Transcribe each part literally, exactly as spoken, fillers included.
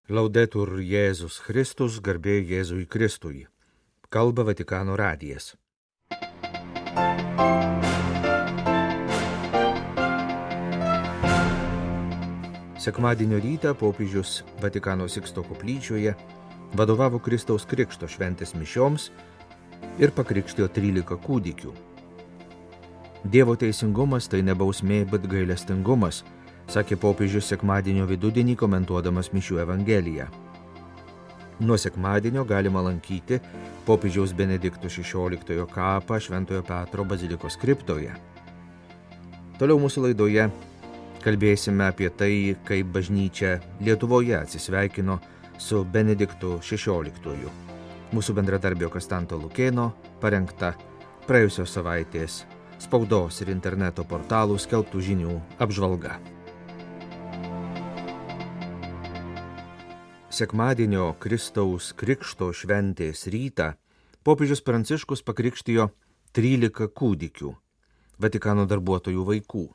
Laudetur Jėzus Kristus, garbė Jėzui Kristui. Kalba Vatikano radijas. Sekmadienio rytą popiežius Vatikano Siksto koplyčioje vadovavo Kristaus Krikšto šventės mišioms ir pakrikštijo trylika kūdikių. Dievo teisingumas tai ne bausmė, bet gailestingumas, sakė popiežius sekmadienio vidudienį komentuodamas mišių evangeliją. Nuo sekmadienio galima lankyti popiežiaus Benedikto šešioliktojo kapą Šventojo Petro bazilikos kriptoje. Toliau mūsų laidoje kalbėsime apie tai, kaip bažnyčia Lietuvoje atsisveikino su Benediktu šešioliktuoju. Mūsų bendradarbio Kastanto Lukėno parengta praėjusios savaitės spaudos ir interneto portalų skelbtų žinių apžvalga. Sekmadienio Kristaus Krikšto šventės rytą popiežius Pranciškus pakrikštijo trylika kūdikių, Vatikano darbuotojų vaikų.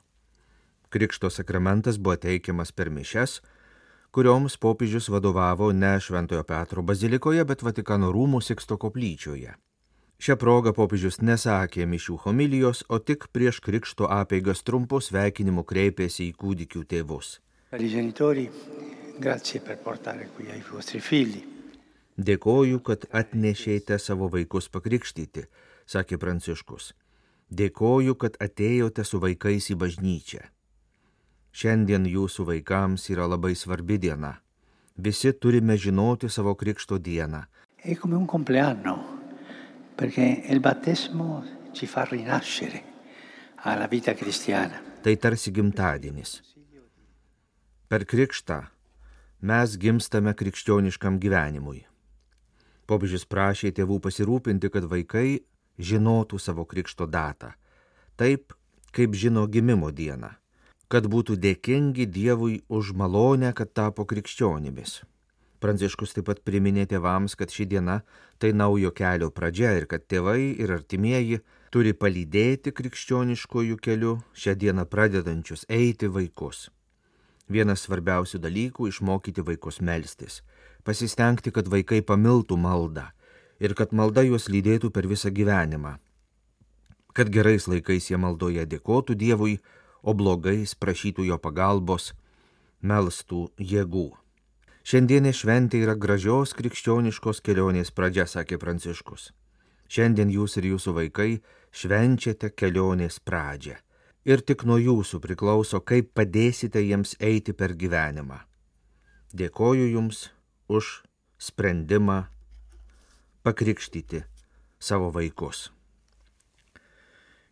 Krikšto sakramentas buvo teikiamas per mišias, kurioms popiežius vadovavo ne Šventojo Petro bazilikoje, bet Vatikano rūmų Siksto koplyčioje. Šią progą popiežius nesakė mišių homilijos, o tik prieš krikšto apeigas trumpu sveikinimu kreipėsi į kūdikių tėvus. Grazie per portare qui ai vostri figli. Dėkoju, kad atnešėte savo vaikus pakrikštyti, sakė Pranciškus. Dėkoju, kad atėjote su vaikais į bažnyčią. Šiandien jūsų vaikams yra labai svarbi diena. Visi turime žinoti savo krikšto dieną. È come un compleanno, perché il battesimo ci fa rinascere alla vita cristiana. Tai tarsi gimtadienis. Per krikštą mes gimstame krikščioniškam gyvenimui. Popiežius prašė tėvų pasirūpinti, kad vaikai žinotų savo krikšto datą, taip kaip žino gimimo dieną, kad būtų dėkingi Dievui už malonę, kad tapo krikščionimis. Pranciškus taip pat priminė tėvams, kad ši diena tai naujo kelio pradžia ir kad tėvai ir artimieji turi palydėti krikščioniškojų keliu šią dieną pradedančius eiti vaikus. Vienas svarbiausių dalykų - išmokyti vaikus melstis, pasistengti, kad vaikai pamiltų maldą ir kad malda juos lydėtų per visą gyvenimą, kad gerais laikais jie maldoje dėkotų Dievui, o blogais prašytų jo pagalbos, melstų jėgų. Šiandienė šventė yra gražios krikščioniškos kelionės pradžia, sakė Pranciškus. Šiandien jūs ir jūsų vaikai švenčiate kelionės pradžią. Ir tik nuo jūsų priklauso, kaip padėsite jiems eiti per gyvenimą. Dėkoju jums už sprendimą pakrikštyti savo vaikus.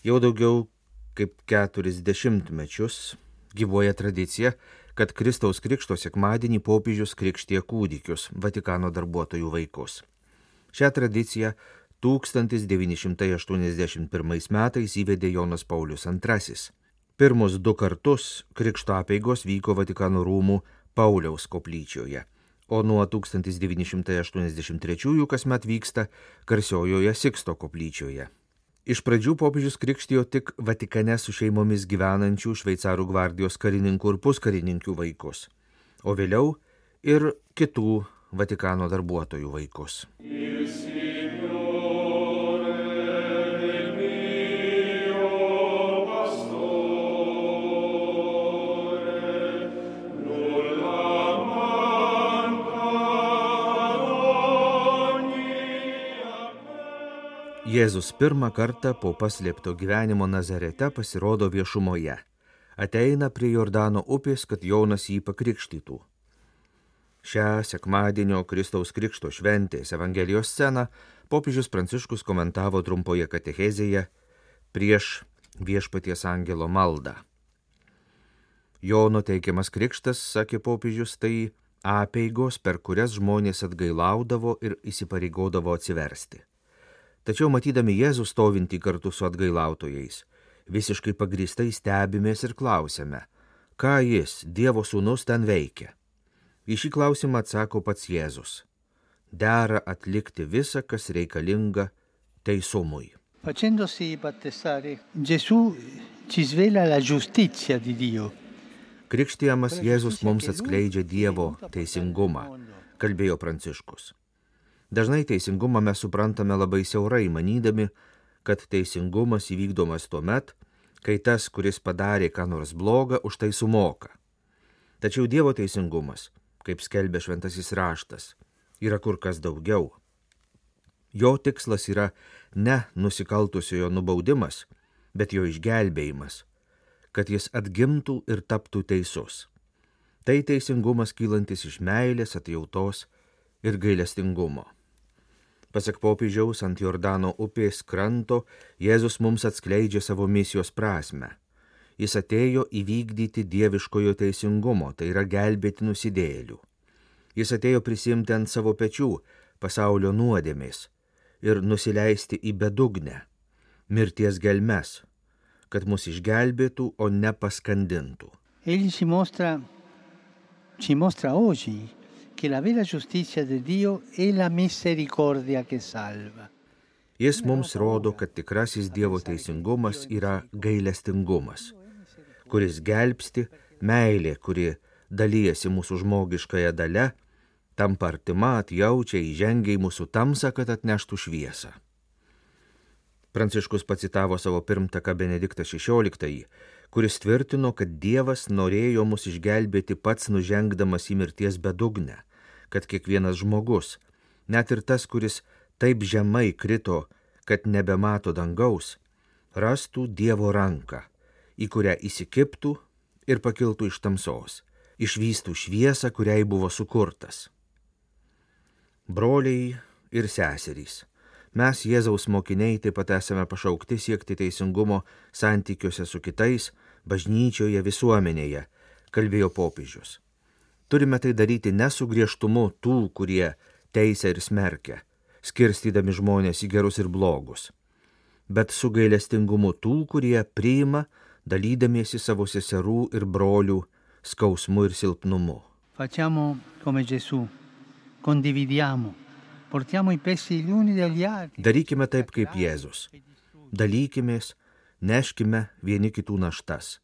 Jau daugiau kaip keturis dešimtmečius gyvuoja tradicija, kad Kristaus Krikšto sekmadienį popiežius krikštija kūdikius, Vatikano darbuotojų vaikus. Šią tradiciją tūkstantis devyni šimtai aštuoniasdešimt pirmais metais įvedė Jonas Paulius antrasis. Pirmus du kartus krikšto apeigos vyko Vatikano rūmų Pauliaus koplyčioje, o nuo tūkstantis devyni šimtai aštuoniasdešimt trečiųjų kasmet vyksta garsiojoje Siksto koplyčioje. Iš pradžių popiežius krikštijo tik Vatikane su šeimomis gyvenančių šveicarų gvardijos karininkų ir puskarininkių vaikus, o vėliau ir kitų Vatikano darbuotojų vaikus. Jėzus pirmą kartą po paslėpto gyvenimo Nazarete pasirodo viešumoje. Ateina prie Jordano upės, kad Jonas jį pakrikštytų. Šią sekmadienio Kristaus Krikšto šventės Evangelijos sceną popiežius Pranciškus komentavo trumpoje katechezėje prieš Viešpaties angelo maldą. Jono teikiamas krikštas, sakė popiežius, tai apeigos, per kurias žmonės atgailaudavo ir įsipareigodavo atsiversti. Tačiau matydami Jėzų stovintį kartu su atgailautojais, visiškai pagrįstai stebimės ir klausiame, ką jis, Dievo sūnus, ten veikia. Į šį klausimą atsako pats Jėzus. Dera atlikti visą, kas reikalinga teisumui. Facendosi battesare, Gesù ci svela la giustizia di Dio. Krikštijamas Jėzus mums atskleidžia Dievo teisingumą, kalbėjo Pranciškus. Dažnai teisingumą mes suprantame labai siaurai, manydami, kad teisingumas įvykdomas tuomet, kai tas, kuris padarė ką nors blogą, už tai sumoka. Tačiau Dievo teisingumas, kaip skelbia šventasis raštas, yra kur kas daugiau. Jo tikslas yra ne nusikaltusiojo nubaudimas, bet jo išgelbėjimas, kad jis atgimtų ir taptų teisus. Tai teisingumas kylantis iš meilės, atjautos ir gailestingumo. Pasak popiežiaus, ant Jordano upės kranto Jėzus mums atskleidžia savo misijos prasmę. Jis atėjo įvykdyti dieviškojo teisingumo, tai yra gelbėti nusidėjėlių. Jis atėjo prisimti ant savo pečių pasaulio nuodėmės ir nusileisti į bedugnę, mirties gelmes, kad mus išgelbėtų, o ne paskandintų. Egli ci mostra, ci mostra oggi che la vera giustizia di Dio è la misericordia che salva. Jis mums rodo, kad tikrasis Dievo teisingumas yra gailestingumas, kuris gelbsti, meilė, kuri dalyjasi mūsų žmogiškąją dalę, tampa artima, atjaučia, įžengia į mūsų tamsą, kad atneštų šviesą. Pranciškus pacitavo savo pirmtaką Benediktą šešioliktąjį, kuris tvirtino, kad Dievas norėjo mus išgelbėti pats nužengdamas į mirties bedugnę, kad kiekvienas žmogus, net ir tas, kuris taip žemai krito, kad nebemato dangaus, rastų Dievo ranką, į kurią įsikibtų ir pakiltų iš tamsos, išvystų šviesą, kuriai buvo sukurtas. Broliai ir seserys, mes Jėzaus mokiniai taip pat esame pašaukti siekti teisingumo santykiuose su kitais, bažnyčioje, visuomenėje, kalbėjo popiežius. Turime tai daryti ne su griežtumu tų, kurie teisia ir smerkia, skirstydami žmonės į gerus ir blogus, bet su gailestingumu tų, kurie priima, dalydamiesi savo seserų ir brolių skausmu ir silpnumu. Facciamo come Gesù, condividiamo, portiamo i pesi gli uni degli altri. Darykime taip kaip Jėzus. Dalykimės, neškime vieni kitų naštas.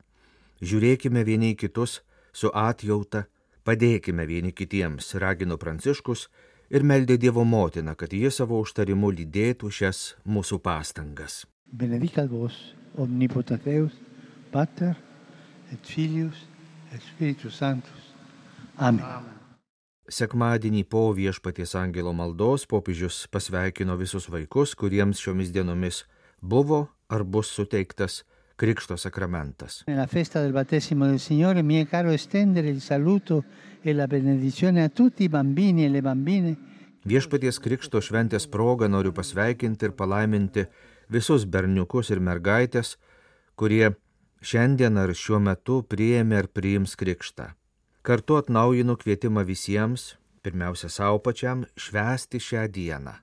Žiūrėkime vieni į kitus su atjauta, padėkime vieni kitiems, ragino Pranciškus ir meldė Dievo motiną, kad jie savo užtarimu lydėtų šias mūsų pastangas. Benedicat vos, omnipotens Deus, Pater et Filius et Spiritus Sanctus. Amen. Sekmadienį po Viešpaties angelo maldos popiežius pasveikino visus vaikus, kuriems šiomis dienomis buvo ar bus suteiktas Krikšto sakramentas. Nella festa del battesimo del Signore mi è caro estendere il saluto e la benedizione a tutti i bambini e le bambine. Viešpaties Krikšto šventės proga noriu pasveikinti ir palaiminti visus berniukus ir mergaitės, kurie šiandien ar šiuo metu priėmė ar priims Krikštą. Kartu atnaujinu kvietimą visiems, pirmiausia savo pačiam, švęsti šią dieną.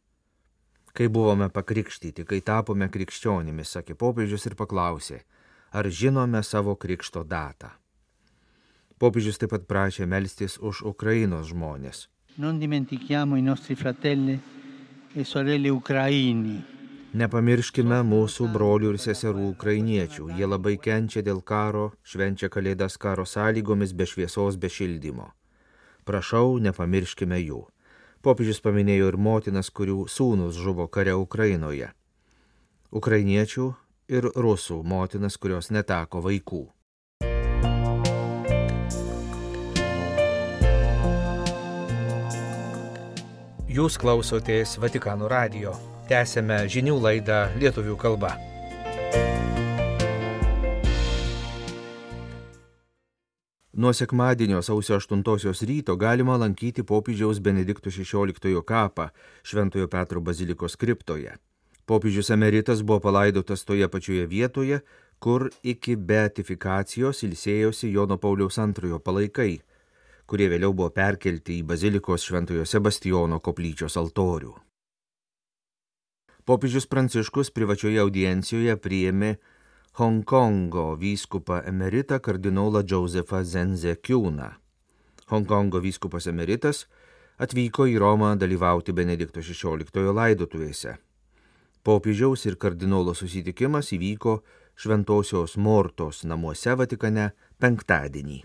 Kai buvome pakrikštyti, kai tapome krikščionimis, sakė popiežius ir paklausė, ar žinome savo krikšto datą. Popiežius taip pat prašė melstis už Ukrainos žmonės. Non dimentichiamo i nostri fratelli e sorelle ucraini. Nepamirškime mūsų brolių ir seserų ukrainiečių. Jie labai kenčia dėl karo, švenčia kalėdas karo sąlygomis, be šviesos, be šildymo. Prašau, nepamirškime jų. Popiežius paminėjo ir motinas, kurių sūnus žuvo kare Ukrainoje. Ukrainiečių ir rusų motinas, kurios neteko vaikų. Jūs klausotės Vatikano radijo. Tęsėme žinių laidą lietuvių kalba. Nuo sekmadienio sausio aštuntosios ryto galima lankyti popiežiaus Benedikto šešioliktojo kapą Šventojo Petro bazilikos kriptoje. Popiežius emeritas buvo palaidotas toje pačioje vietoje, kur iki beatifikacijos ilsėjosi Jono Pauliaus antrojo palaikai, kurie vėliau buvo perkelti į bazilikos Šventojo Sebastijono koplyčios altorių. Popiežius Pranciškus privačioje audiencijoje priėmė Hongkongo vyskupą emeritą kardinolą Josephą Zenzekiūną. Hongkongo vyskupas emeritas atvyko į Romą dalyvauti Benedikto šešioliktojo laidotuvėse. Popiežiaus ir kardinolo susitikimas įvyko Šventosios Mortos namuose Vatikane penktadienį.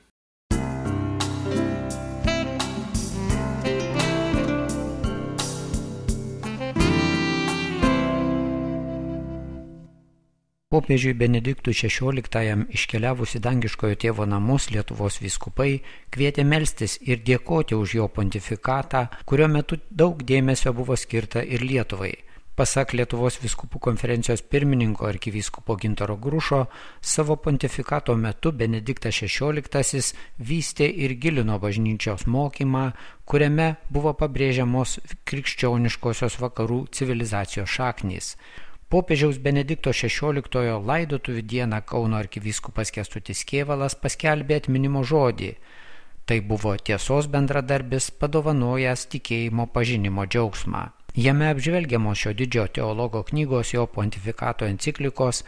Popiežiui Benediktui šešioliktajam iškeliavus į dangiškojo tėvo namus Lietuvos vyskupai kvietė melstis ir dėkoti už jo pontifikatą, kurio metu daug dėmesio buvo skirta ir Lietuvai. Pasak Lietuvos vyskupų konferencijos pirmininko arkivyskupo Gintaro Grušo, savo pontifikato metu Benediktas šešioliktasis vystė ir gilino bažnyčios mokymą, kuriame buvo pabrėžiamos krikščioniškosios vakarų civilizacijos šaknys. Popiežiaus Benedikto šešioliktojo laidotuvių dieną Kauno arkivyskupas Kęstutis Kėvalas paskelbė atminimo žodį. Tai buvo tiesos bendradarbis, padovanojęs tikėjimo pažinimo džiaugsmą. Jame apžvelgiamos šio didžio teologo knygos jo pontifikato enciklikos,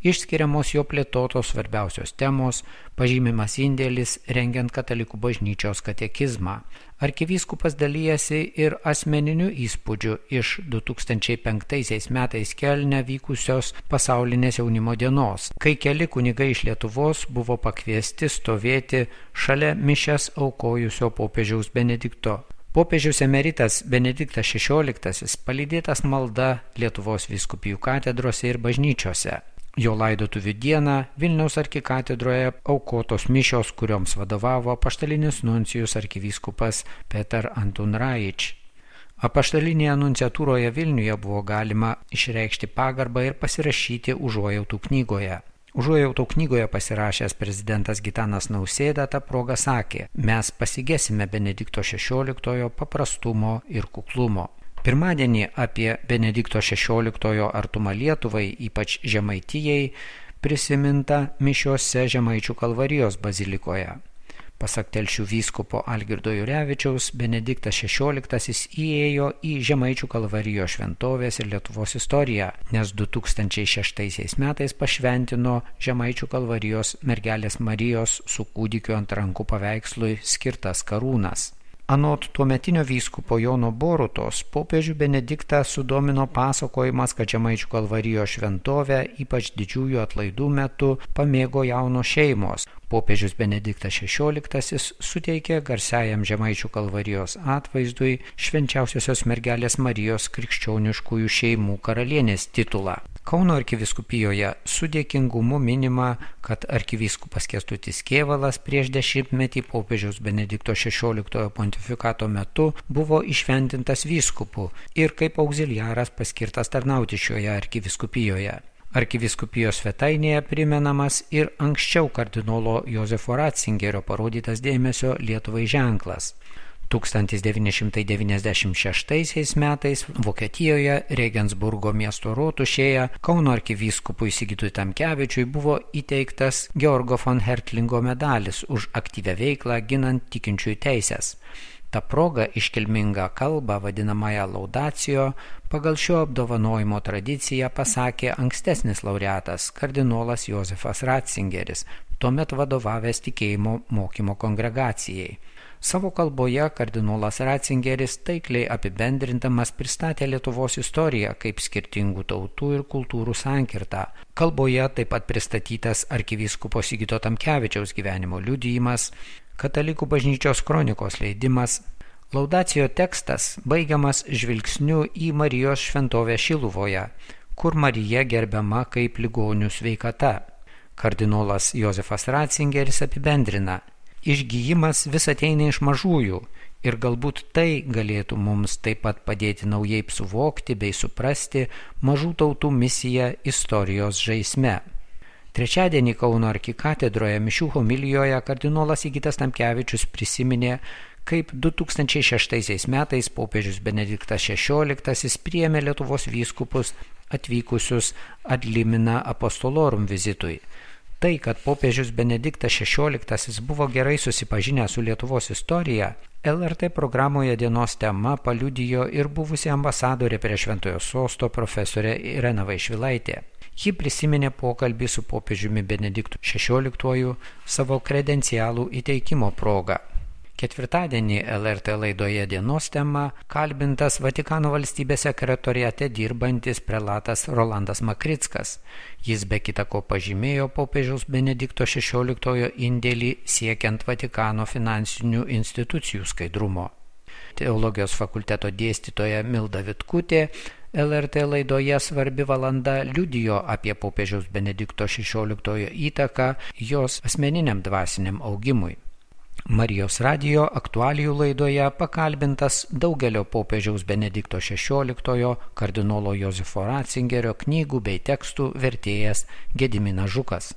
išskiriamos jo plėtotos svarbiausios temos, pažymimas indėlis rengiant katalikų bažnyčios katekizmą. Arkivyskupas dalyjasi ir asmeniniu įspūdžiu iš du tūkstančiai penktaisiais metais Kelne vykusios pasaulinės jaunimo dienos, kai keli kunigai iš Lietuvos buvo pakviesti stovėti šalia mišias aukojusio popiežiaus Benedikto. Popiežiaus emeritas Benediktas šešioliktasis palydėtas malda Lietuvos vyskupijų katedrose ir bažnyčiose. Jo laidotuvių dieną Vilniaus arkikatedroje aukotos mišios, kurioms vadovavo apaštalinis nuncijus arkivyskupas Petar Antun Raič. Apaštalinėje nunciatūroje Vilniuje buvo galima išreikšti pagarbą ir pasirašyti užuojautų knygoje. Užuojautų knygoje pasirašęs prezidentas Gitanas Nausėda tą progą sakė: mes pasigesime Benedikto šešioliktojo paprastumo ir kuklumo. Pirmadienį apie Benedikto šešioliktojo artumą Lietuvai, ypač Žemaitijai, prisiminta mišiose Žemaičių Kalvarijos bazilikoje. Pasak Telšių vyskupo Algirdo Jurevičiaus, Benediktas šešioliktasis įėjo į Žemaičių Kalvarijos šventovės ir Lietuvos istoriją, nes du tūkstančiai šeštaisiais metais pašventino Žemaičių Kalvarijos mergelės Marijos su kūdikiu ant rankų paveikslui skirtas karūnas. Anot tuometinio vyskupo Jono Borutos, popiežių Benediktą sudomino pasakojimas, kad Žemaičių Kalvarijos šventovę, ypač didžiųjų atlaidų metu, pamėgo jaunos šeimos. Popiežius Benediktas šešioliktasis suteikė garsiajam Žemaičių Kalvarijos atvaizdui švenčiausiosios mergelės Marijos krikščioniškųjų šeimų karalienės titulą. Kauno arkivyskupijoje su dėkingumu minima, kad arkivyskupas Kęstutis Kėvalas prieš dešimtmetį popiežiaus Benedikto šešioliktojo pontifikato metu buvo iššventintas vyskupu ir kaip auxiliaras paskirtas tarnauti šioje arkivyskupijoje. Arkivyskupijos svetainėje primenamas ir anksčiau kardinolo Jozefo Ratzingerio parodytas dėmesio Lietuvai ženklas. tūkstantis devyni šimtai devyniasdešimt šeštaisiais metais Vokietijoje Regensburgo miesto rotušėje Kauno arkivyskupui Sigitui Tamkevičiui buvo įteiktas Georgo von Hertlingo medalis už aktyvią veiklą ginant tikinčiųjų teises. Ta proga iškilmingą kalbą, vadinamąją laudacijo, pagal šio apdovanojimo tradiciją pasakė ankstesnis laureatas kardinolas Jozefas Ratzingeris, tuomet vadovavęs tikėjimo mokymo kongregacijai. Savo kalboje kardinolas Ratzingeris taikliai apibendrindamas pristatė Lietuvos istoriją kaip skirtingų tautų ir kultūrų sankirtą. Kalboje taip pat pristatytas arkivyskupo Sigito Tamkevičiaus gyvenimo liudijimas, Katalikų bažnyčios kronikos leidimas. Laudacijo tekstas baigiamas žvilgsniu į Marijos šventovę Šiluvoje, kur Marija gerbiama kaip ligonių sveikata. Kardinolas Jozefas Ratzingeris apibendrina: išgijimas vis ateina iš mažųjų ir galbūt tai galėtų mums taip pat padėti naujai suvokti bei suprasti mažų tautų misiją istorijos žaisme. Trečiadienį Kauno arkikatedroje mišių homilijoje kardinolas Sigitas Tamkevičius prisiminė, kaip du tūkstančiai šeštaisiais metais popiežius Benediktas šešioliktasis priėmė Lietuvos vyskupus atvykusius ad limina apostolorum vizitui. Tai, kad popiežius Benediktas šešioliktasis buvo gerai susipažinęs su Lietuvos istorija, L R T programoje dienos tema paliudijo ir buvusi ambasadorė prie Šventojo sosto profesorė Irena Vaišvilaitė. Ji prisiminė pokalbį su popiežiumi Benediktu šešioliktuoju savo kredencialų įteikimo proga. Ketvirtadienį L R T laidoje dienos tema kalbintas Vatikano valstybės sekretoriate dirbantis prelatas Rolandas Makrickas. Jis be kita ko pažymėjo popiežiaus Benedikto šešioliktojo indėlį siekiant Vatikano finansinių institucijų skaidrumo. Teologijos fakulteto dėstytoja Milda Vitkutė L R T laidoje Svarbi valanda liudijo apie popiežiaus Benedikto šešioliktojo įtaką jos asmeniniam dvasiniam augimui. Marijos radijo aktualijų laidoje pakalbintas daugelio popiežiaus Benedikto šešioliktojo kardinolo Jozefo Ratzingerio knygų bei tekstų vertėjas Gediminas Žukas.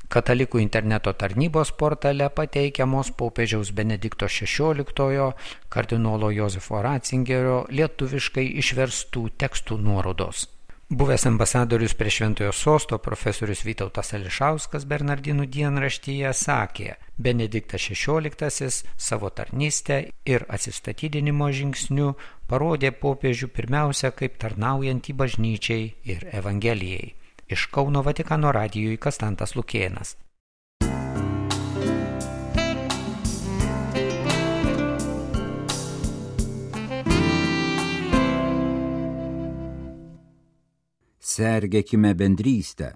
Katalikų interneto tarnybos portale pateikiamos popiežiaus Benedikto šešioliktojo kardinolo Jozefo Ratzingerio lietuviškai išverstų tekstų nuorodos. Buvęs ambasadorius prie Šventojo sosto profesorius Vytautas Ališauskas Bernardinų dienraštyje sakė, Benediktas šešioliktasis savo tarnystę ir atsistatydinimo žingsniu parodė popiežių pirmiausia kaip tarnaujantį bažnyčiai ir Evangelijai. Iš Kauno Vatikano radijui Kastantas Lukėnas. Sergėkime bendrystę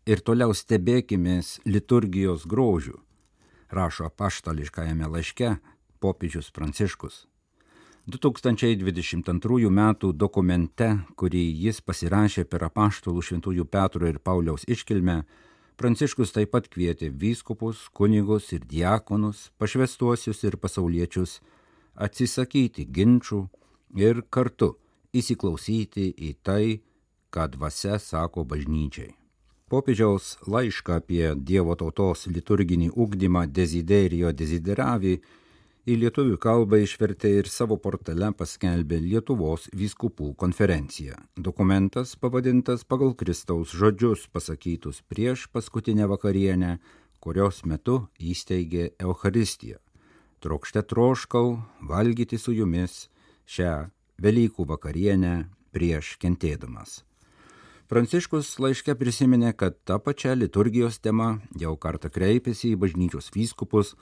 ir toliau stebėkimės liturgijos grožių, rašo apaštališkajame laiške popiežius Pranciškus. du tūkstančiai dvidešimt antrųjų metų dokumente, kurį jis pasirašė per apaštalų šventųjų Petro ir Pauliaus iškilmę, Pranciškus taip pat kvietė vyskupus, kunigus ir diakonus, pašvęstuosius ir pasauliečius atsisakyti ginčų ir kartu įsiklausyti į tai, ką dvasia sako bažnyčiai. Popiežiaus laišką apie Dievo tautos liturginį ugdymą Desiderio Desideravi į lietuvių kalbą išvertė ir savo portale paskelbė Lietuvos vyskupų konferencija. Dokumentas pavadintas pagal Kristaus žodžius pasakytus prieš paskutinę vakarienę, kurios metu įsteigė Eucharistiją. Trokšte troškau valgyti su jumis šią Velykų vakarienę prieš kentėdamas. Pranciškus laiške prisiminė, kad ta pačia liturgijos tema jau kartą kreipėsi į bažnyčios vyskupus,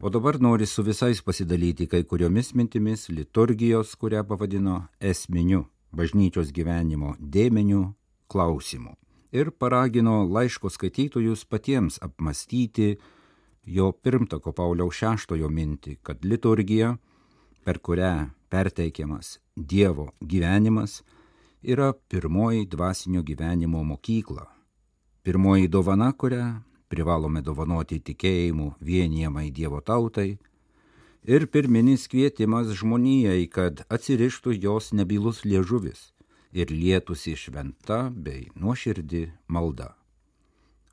o dabar nori su visais pasidalyti kai kuriomis mintimis liturgijos, kurią pavadino esminiu bažnyčios gyvenimo dėmeniu klausimu. Ir paragino laiško skaitytojus patiems apmastyti jo pirmtako Pauliaus šeštojo mintį, kad liturgija, per kurią perteikiamas Dievo gyvenimas, yra pirmoji dvasinio gyvenimo mokykla. Pirmoji dovana, kurią privalome dovanoti tikėjimu vienijamai Dievo tautai, ir pirminis kvietimas žmonijai, kad atsirištų jos nebylus liežuvis ir lietųsi šventa bei nuoširdi malda.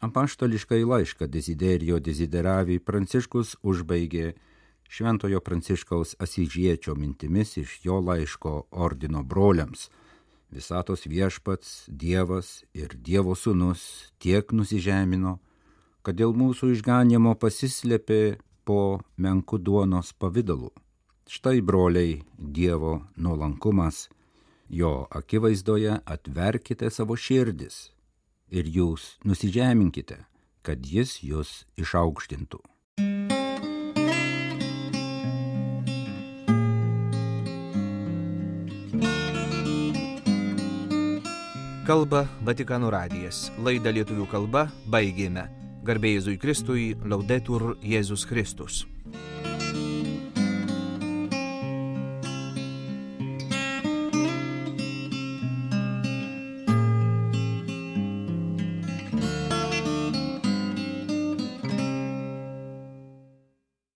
Apaštališkai laišką Desiderio Desideravi Pranciškus užbaigė Šventojo Pranciškaus Asyžiečio mintimis iš jo laiško ordino broliams. Visatos viešpats, Dievas ir Dievo sūnus tiek nusižemino, kad dėl mūsų išganimo pasislėpė po menku duonos pavidalu. Štai, broliai, Dievo nuolankumas, jo akivaizdoje atverkite savo širdis ir jūs nusižeminkite, kad jis jūs išaukštintų. Kalba Vatikano radijas. Laidą lietuvių kalba baigėme. Garbė Jėzui Kristui, Laudetur Jėzus Kristus.